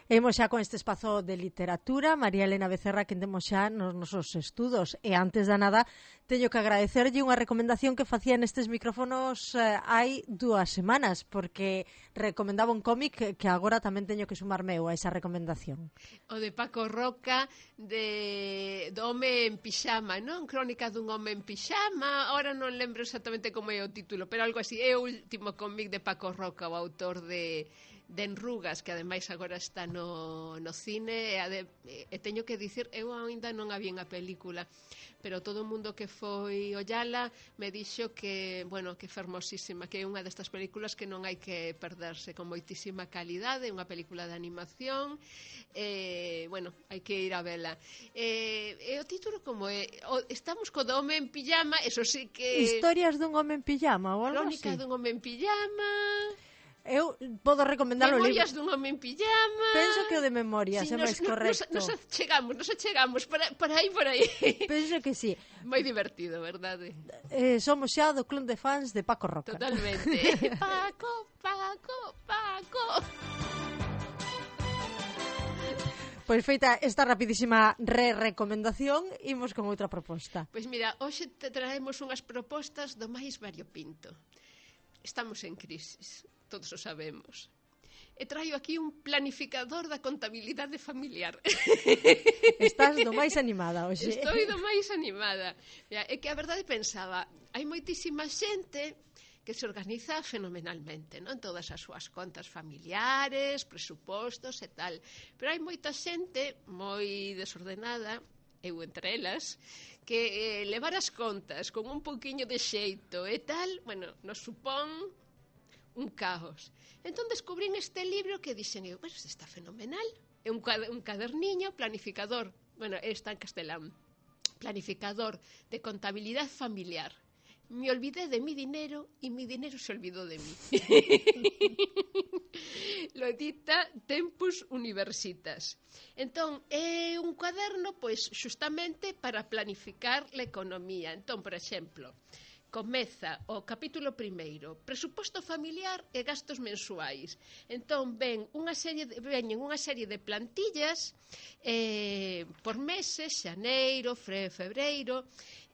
Imos xa con este espazo de literatura. María Elena Becerra, que temos xa nos nosos estudos. E antes da nada, teño que agradecerlle unha recomendación que facía nestes micrófonos hai 2 semanas, porque recomendaba un cómic que agora tamén teño que sumarme eu a esa recomendación. O de Paco Roca, do home en pixama, non? Crónica dun home en pixama. Ahora non lembro exactamente como é o título, pero algo así. É o último cómic de Paco Roca, o autor de Enrugas, que ademais agora está no cine, e teño que dicir, eu ainda non a vi a película, pero todo o mundo que foi ollala me dixo que, bueno, que fermosísima, que é unha destas películas que non hai que perderse, con moitísima calidade, unha película de animación, bueno, hai que ir a vela. E o título como é? Estamos co do home en pijama, eso sí que... Historias dun home en pijama ou algo así? Crónica dun home en pijama... Eu podo recomendar o libro. Memorias dun home en pijama. Penso que o de Memorias é máis correcto. Nos achegamos, por aí. Penso que sí. Moi divertido, verdade? Somos xa do club de fans de Paco Roca. Totalmente. Paco. Pois feita esta rapidísima recomendación, imos con outra proposta. Pois mira, hoxe te traemos unhas propostas do máis variopinto. Estamos en crisis, todos o sabemos. E traio aquí un planificador da contabilidade familiar. Estás do máis animada hoxe. Estou do máis animada. Mira, é que a verdade pensaba, hai moitísima xente que se organiza fenomenalmente, non? Todas as súas contas familiares, presupostos e tal. Pero hai moita xente moi desordenada, eu entre elas, que levar as contas con un pouquiño de xeito e tal, bueno, nos supón un caos. Entón descubrín este libro que dixen eu, bueno, está fenomenal, é un caderniño planificador, bueno, está en castelán, planificador de contabilidade familiar. Me olvidé de mi dinero y mi dinero se olvidó de mí. Lo edita Tempus Universitas. Entón, é un cuaderno, pois, xustamente para planificar a economía. Entón, por exemplo, comeza o capítulo primeiro, presuposto familiar e gastos mensuais. Entón, veñen unha serie de plantillas por meses, xaneiro, febreiro,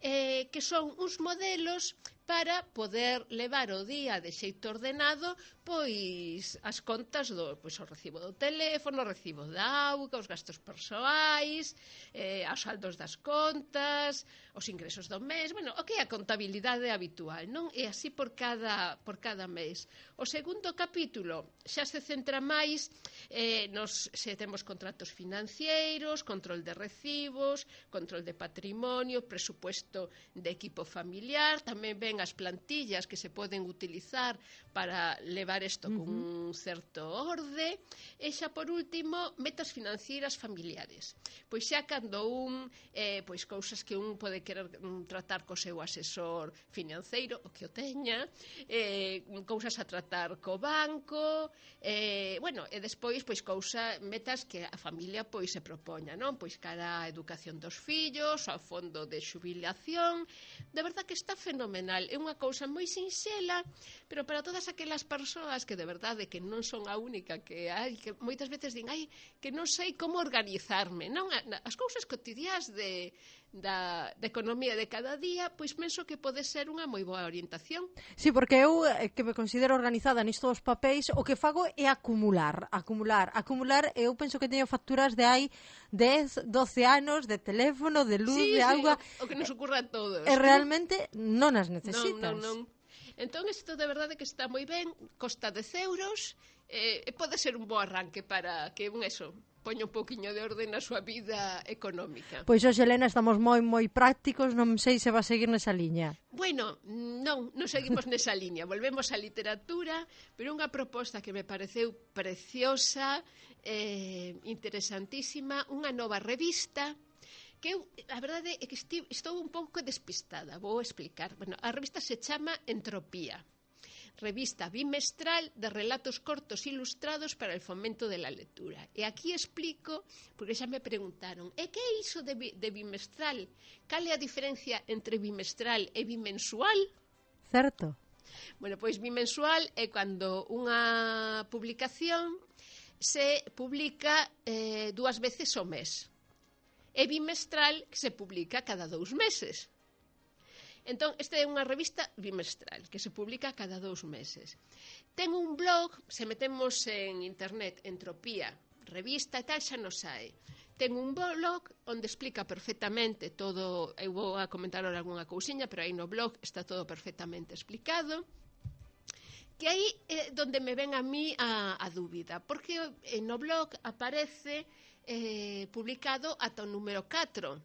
que son uns modelos para poder levar o día de xeito ordenado pois as contas o recibo do teléfono, o recibo da auga, os gastos persoais, os saldos das contas, os ingresos do mes, bueno, o que é a contabilidade habitual, non? E así por cada mes. O segundo capítulo xa se centra máis se temos contratos financeiros, control de recibos, control de patrimonio, presupuesto de equipo familiar, tamén ven as plantillas que se poden utilizar para levar isto con un certo orde, e xa por último metas financeiras familiares. Pois xa cando pois cousas que un pode querer tratar co seu asesor financeiro, o que o teña, cousas a tratar co banco, bueno, e despois pois metas que a familia pois se propoña, non? Pois cara a educación dos fillos, ao fondo de xubilación. De verdad que está fenomenal, é unha cousa moi sinxela, pero para todas aquelas persoas que de verdade que non son a única que hai, que moitas veces din, que non sei como organizarme, non? As cousas cotidiás da economía de cada día, pois penso que pode ser unha moi boa orientación. Sí, porque eu que me considero organizada nisto dos papéis, o que fago é acumular, eu penso que teño facturas de hai 10, 12 anos de teléfono, de luz, de auga. O que nos ocurra a todos. E realmente non as necesitas. Non. Entón, isto de verdade que está moi ben, costa 10 euros, e pode ser un bo arranque para que poña un pouquiño de orde na súa vida económica. Pois hoxe, Helena, estamos moi prácticos, non sei se va a seguir nesa liña. Bueno, non seguimos nesa liña, volvemos á literatura, pero unha proposta que me pareceu preciosa, interesantísima, unha nova revista, que eu, a verdade é que estou un pouco despistada, vou explicar. Bueno, a revista se chama Entropía, revista bimestral de relatos cortos ilustrados para el fomento de la lectura. E aquí explico, porque xa me preguntaron, que é iso de bimestral? Cal é a diferencia entre bimestral e bimensual? Certo. Bueno, pois bimensual é cando unha publicación se publica 2 veces ao mes. E bimestral que se publica cada 2 meses. Entón, esta é unha revista bimestral que se publica cada 2 meses. Ten un blog, se metemos en internet, Entropía, revista e tal, xa nos sae. Ten un blog onde explica perfectamente todo, eu vou a comentar ahora algunha cousiña, pero aí no blog está todo perfectamente explicado, que aí é donde me ven a mí a dúbida, porque no blog aparece publicado ata o número 4,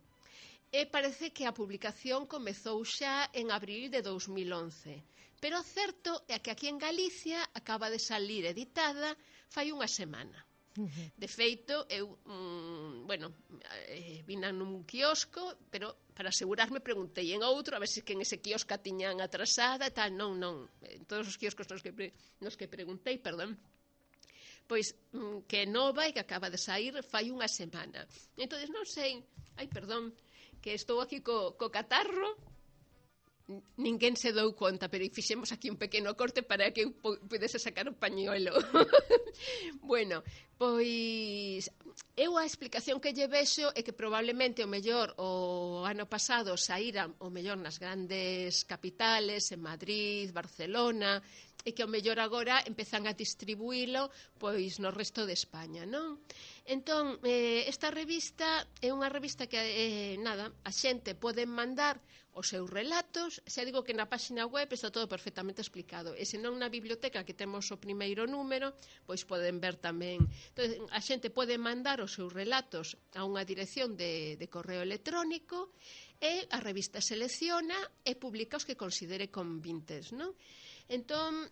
e parece que a publicación comezou xa en abril de 2011, pero o certo é que aquí en Galicia acaba de salir editada fai unha semana. De feito, eu, vina nun quiosco, pero para asegurarme preguntei en outro, a ver se que en ese quiosco tiñan atrasada e tal, non, en todos os quioscos nos que preguntei, pois que é nova e que acaba de sair fai unha semana. Entón, non sei, que estou aquí co catarro, ninguén se dou conta, pero fixemos aquí un pequeno corte para que eu pudese sacar o pañuelo. Bueno, pois eu a explicación que lle vexo é que probablemente o mellor o ano pasado saíra o mellor nas grandes capitales, en Madrid, Barcelona, e que o mellor agora empezan a distribuílo pois no resto de España, non? Entón, esta revista é unha revista que, a xente pode mandar os seus relatos, xa digo que na páxina web está todo perfectamente explicado, e se non na biblioteca que temos o primeiro número, pois poden ver tamén. Entón, a xente pode mandar os seus relatos a unha dirección de correo electrónico e a revista selecciona e publica os que considere convintes, non? Entón,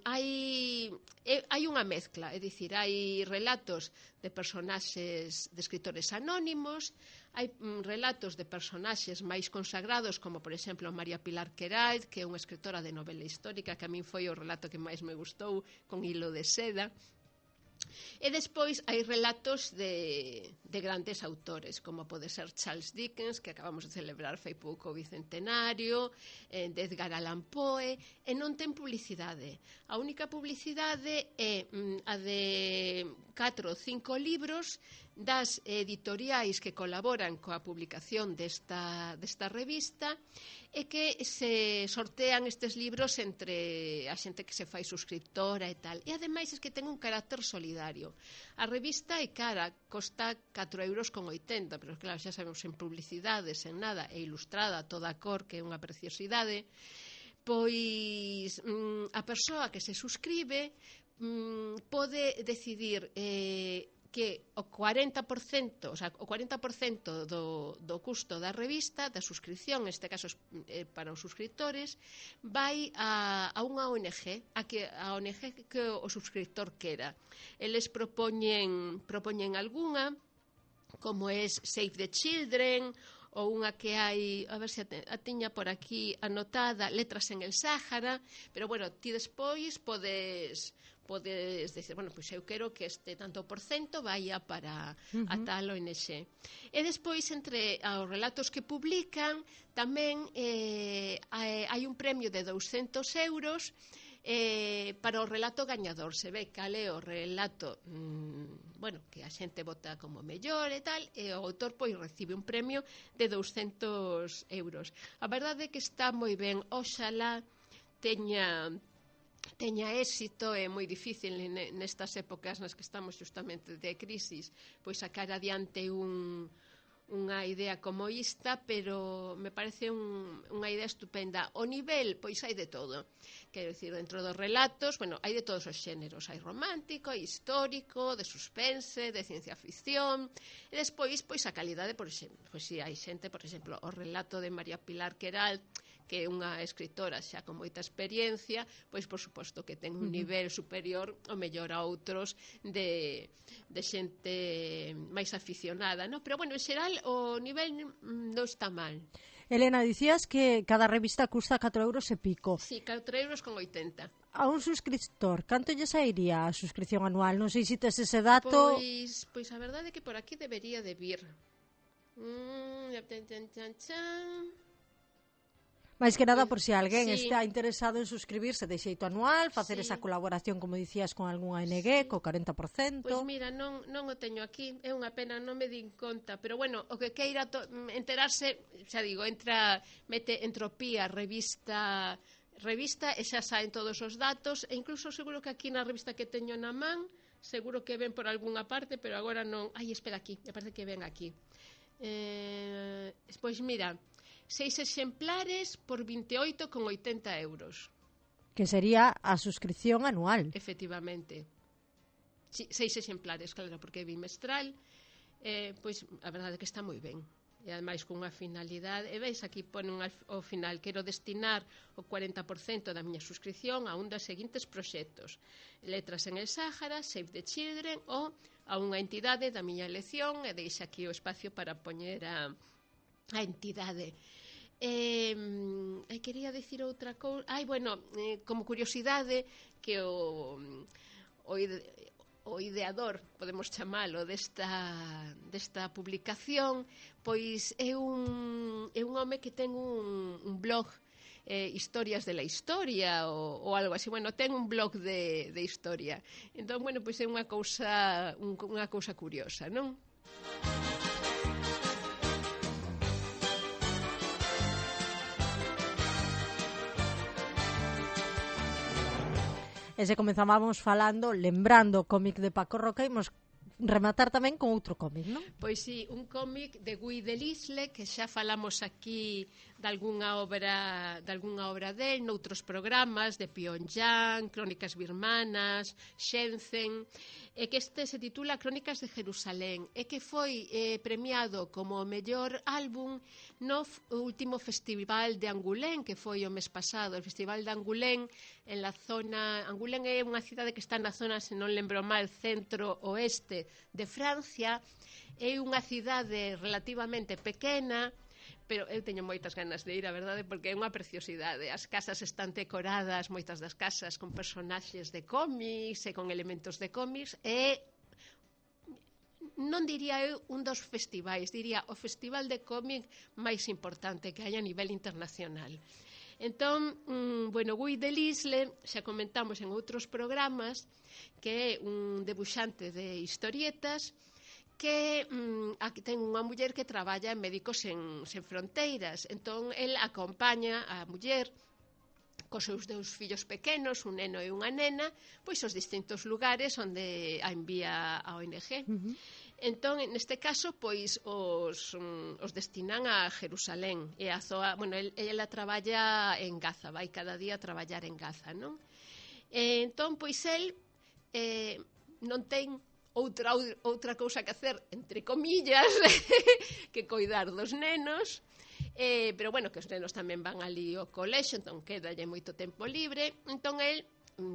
hai unha mezcla, é dicir, hai relatos de personaxes, de escritores anónimos, hai relatos de personaxes máis consagrados, como, por exemplo, María Pilar Querais, que é unha escritora de novela histórica, que a min foi o relato que máis me gustou, con hilo de seda. E despois hai relatos de grandes autores, como pode ser Charles Dickens, que acabamos de celebrar fai pouco o bicentenario, de Edgar Allan Poe, e non ten publicidade. A única publicidade é a de 4 ou 5 libros das editoriais que colaboran coa publicación desta revista, e que se sortean estes libros entre a xente que se fai suscriptora e tal. E ademais é que ten un carácter solidario. A revista é cara, costa 4,80 €, pero claro, xa sabemos, en publicidades, en nada, e ilustrada a toda cor, que é unha preciosidade. Pois a persoa que se suscribe pode decidir que o 40%, o sea, o 40% do custo da revista, da suscripción, neste caso para os suscriptores, vai a unha ONG, a ONG que o suscriptor quera. Eles propoñen algunha, como é Save the Children, ou unha que hai, a ver se a tiña por aquí anotada, Letras en el Sáhara, pero bueno, ti despois podes decir, bueno, pois eu quero que este tanto por cento vaya para a tal ONG. E despois, entre os relatos que publican, tamén hai un premio de 200 € para o relato gañador. Se ve cal é o relato que a xente vota como mellor e tal, e o autor pois recibe un premio de 200 €. A verdade é que está moi ben. Oxalá teña éxito. É moi difícil nestas épocas nas que estamos justamente de crisis pois sacar adiante unha idea como esta, pero me parece unha idea estupenda. O nivel, pois hai de todo, quero dicir, dentro dos relatos, hai de todos os xéneros, hai romántico, hai histórico, de suspense, de ciencia ficción, e despois, pois a calidade, por exemplo, pois si hai xente, por exemplo, o relato de María Pilar Querais, que é unha escritora xa con moita experiencia, pois por suposto que ten un nivel superior ao mellor a outros de xente máis aficionada, non? Pero bueno, en xeral o nivel non está mal. Elena, dicías que cada revista custa 4 € e pico. Sí, 4,80 €. A un suscriptor, canto lle sairía a suscripción anual? Non sei se tes ese dato. Pois a verdade é que por aquí debería de vir. máis que nada por se alguén Sí. está interesado en suscribirse de xeito anual, facer Sí. esa colaboración, como dicías, con algún ANG, co 40%. Pois mira, non o teño aquí, é unha pena, non me din conta, pero bueno, o que queira enterarse, xa digo, mete Entropía, revista e xa saen todos os datos, e incluso seguro que aquí na revista que teño na man, seguro que ven por algunha parte, pero agora non. Ai, espera aquí, me parece que ven aquí. Pois mira, 6 exemplares por 28,80 euros. Que sería a suscripción anual. Efectivamente. Sí, 6 exemplares, claro, porque é bimestral. Pois a verdade é que está moi ben. E ademais con unha finalidade. E veis, aquí ponen ao final: quero destinar o 40% da miña suscripción a un dos seguintes proxectos: Letras en el Sáhara, Save the Children, ou a unha entidade da miña elección, e deixa aquí o espacio para poñer a entidade. Quería dicir outra cousa. Como curiosidade, que o ideador, podemos chamalo, desta publicación, pois é un home que ten un blog, Historias de la Historia ou algo así. Bueno, ten un blog de historia. Entón, bueno, pois é unha cousa curiosa, non? E se comezábamos falando, lembrando o cómic de Paco Roca, imos rematar tamén con outro cómic, non? Pois sí, un cómic de Guy Delisle, que xa falamos aquí de algunha obra del, noutros programas, de Pyongyang, Crónicas Birmanas, Shenzhen, e que este se titula Crónicas de Jerusalén, e que foi premiado como o mellor álbum no último festival de Angoulême, que foi o mes pasado, o festival de Angoulême, en la zona. Angoulême é unha cidade que está na zona, se non lembro mal, centro-oeste de Francia. É unha cidade relativamente pequena, pero eu teño moitas ganas de ir, a verdade, porque é unha preciosidade. As casas están decoradas, moitas das casas, con personaxes de cómics e con elementos de cómics, e non diría eu un dos festivais, diría o festival de cómic máis importante que hai a nivel internacional. Entón, Guy Delisle, xa comentamos en outros programas, que é un debuxante de historietas, que aquí ten unha muller que traballa en Médicos Sen Fronteiras. Entón, el acompaña a muller cos seus 2 fillos pequenos, un neno e unha nena, pois aos distintos lugares onde a envía a ONG. Entón, neste caso, pois os destinan a Jerusalén, e a zoa, bueno, ela traballa en Gaza, vai cada día a traballar en Gaza, non? Entón, pois el non ten outra cousa que hacer, entre comillas, que coidar dos nenos, pero bueno, que os nenos tamén van ali ao colexo, entón quedalle moito tempo libre. Entón el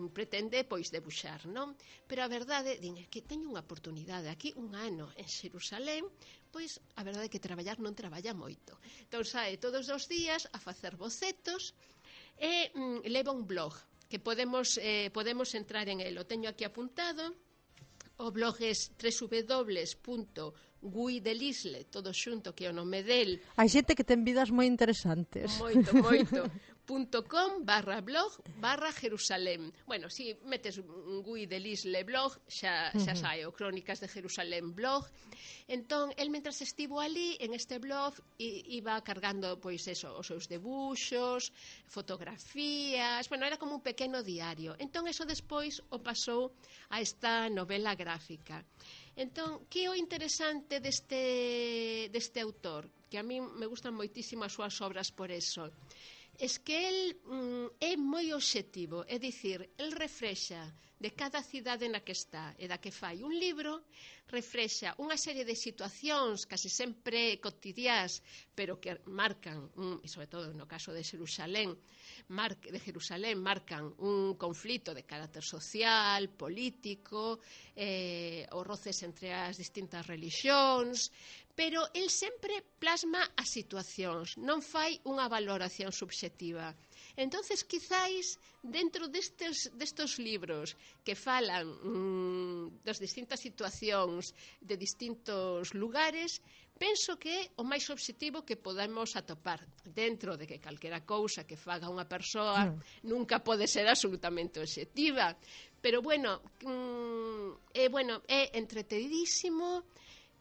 pretende, pois, debuxar, non? Pero a verdade, din, que teño unha oportunidade aquí, un ano en Xerusalén, pois a verdade é que traballar non traballa moito. Entón sae todos os días a facer bocetos e leva un blog que podemos entrar en el. O teño aquí apuntado. O blog é www.guidelisle, todo xunto, que é o nome del. Hai xente que ten vidas moi interesantes. Moito. .com/blog/Jerusalén. Bueno, si metes un Guy Delisle blog, xa sae o Crónicas de Jerusalén blog. Entón, el mentras estivo ali en este blog iba cargando, pois eso, os seus debuxos, fotografías, bueno, era como un pequeno diario. Entón, eso despois o pasou a esta novela gráfica. Entón, que é o interesante deste autor? Que a mí me gustan moitísimo as súas obras por eso. Es que el é moi obxectivo, é dicir, el refrexa de cada cidade na que está e da que fai un libro, refrexa unha serie de situacións casi sempre cotidiás, pero que marcan, e sobre todo no caso de Jerusalén, marcan un conflito de carácter social, político, os roces entre as distintas religións, pero el sempre plasma as situacións, non fai unha valoración subxectiva. Entonces, quizáis, dentro destes libros que falan das distintas situacións de distintos lugares, penso que é o máis obxectivo que podemos atopar dentro de que calquera cousa que faga unha persoa nunca pode ser absolutamente obxectiva, pero é entretenidísimo,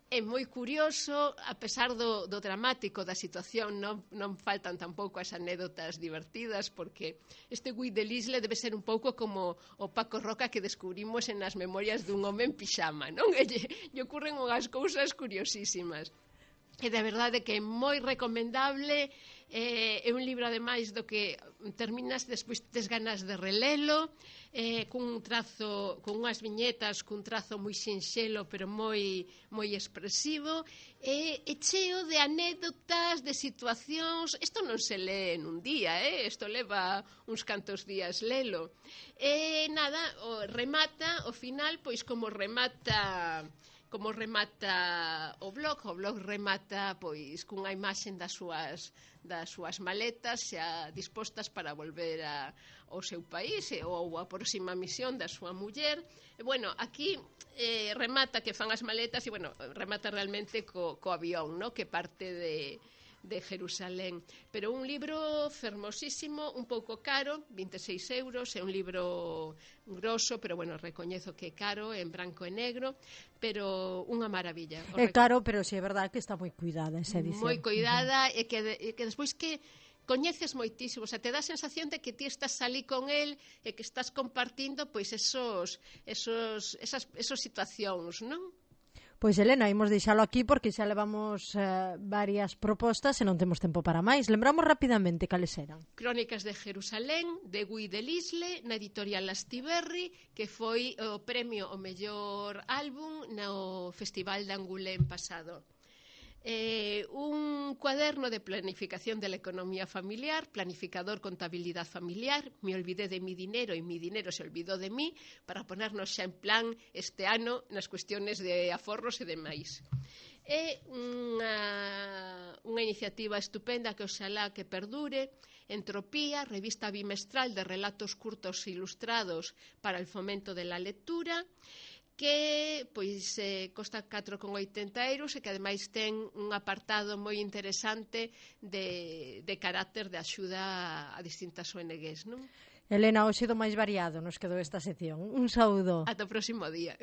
é moi curioso, a pesar do dramático da situación, non faltan tampouco as anécdotas divertidas, porque este Guy de Lisle debe ser un pouco como o Paco Roca que descubrimos en as memorias dun home en pixama, non? Lle ocurren unhas cousas curiosísimas. E de verdade que é moi recomendable, é un libro ademais do que terminas despois tes ganas de relelo, cun trazo, con unhas viñetas cun trazo moi sinxelo pero moi expresivo, e cheo de anécdotas, de situacións. Isto non se lee nun día, isto leva uns cantos días lelo. E nada, remata, ao final, pois como remata o blog remata pois cunha imaxen das súas maletas xa dispostas para volver ao seu país ou a próxima misión da súa muller. E, aquí remata que fan as maletas e, remata realmente co avión, no? Que parte de Jerusalén, pero un libro fermosísimo, un pouco caro, 26 euros, é un libro grosso, pero recoñezo que é caro, en branco e negro, pero unha maravilla. É caro, pero si é verdade que está moi cuidada esa edición. Moi cuidada, e que despois que coñeces moitísimo, te dá a sensación de que ti estás ali con el e que estás compartindo pois esas situacións, non? Pois, Elena, imos deixalo aquí porque xa levamos varias propostas e non temos tempo para máis. Lembramos rapidamente cales eran. Crónicas de Jerusalén, de Guy de Lisle, na editorial Lastiberri, que foi o premio ao mellor álbum no Festival de Angoulême pasado. Un cuaderno de planificación de la economía familiar, planificador contabilidad familiar, me olvidé de mi dinero y mi dinero se olvidó de mí, para ponernos xa en plan este ano nas cuestiones de aforros e demais. É unha iniciativa estupenda que oxalá que perdure. Entropía, revista bimestral de relatos curtos e ilustrados para el fomento de la lectura, que pois costa 4,80 euros e que ademais ten un apartado moi interesante de carácter de axuda a distintas ONGs, non? Elena, hoxe do máis variado nos quedou esta sección. Un saúdo. Ata o próximo día.